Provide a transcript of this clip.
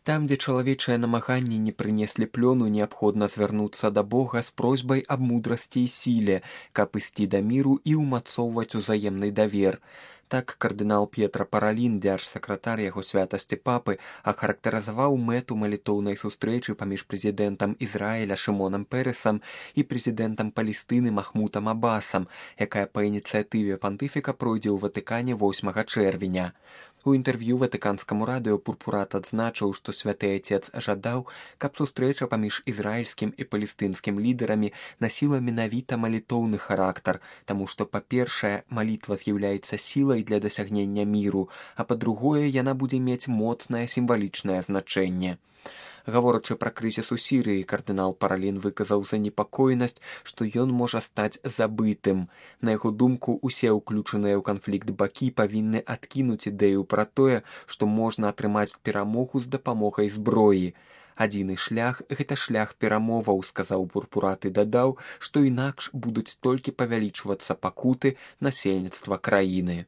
Там, дзе чалавечыя намаганні не прынеслі плёну, неабходна звярнуцца да Бога з просьбай аб мудрасці і сіле, каб ісці да міру і ўмацоўваць узаемны давер. Так кардынал П'етра Паралін, дзяржсакратар яго святасці папы, ахарактарызаваў мэту малітоўнай сустрэчы паміж прэзідэнтам Ізраіля Шымонам Пересам і прэзідэнтам Палестыны Махмутам Абасам, якая па ініцыятыве пантыфіка пройдзе ў Ватыкане 8 чэрвеня. У інтэрв'ю ватыканскаму радыё Пурпурат адзначыў, што святы айцец жадаў, каб сустрэча паміж ізраільскім і палестынскім лідарамі насіла менавіта малітоўны характар, таму што, па-першае, малітва з'яўляецца сілай для дасягнення міру, а па-другое, яна будзе мець моцнае сімвалічнае значэнне. Гаворачы пра крызіс у Сірыі, кардынал Паралін выказаў занепакоенасць, што ён можа стаць забытым. На яго думку, усе ўключаныя ў канфлікт бакі павінны адкінуць ідэю пра тое, што можна атрымаць перамогу з дапамогай зброі. Адзіны шлях – гэта шлях перамоваў, сказаў Пурпурат і дадаў, што інакш будуць толькі павялічвацца пакуты насельніцтва краіны.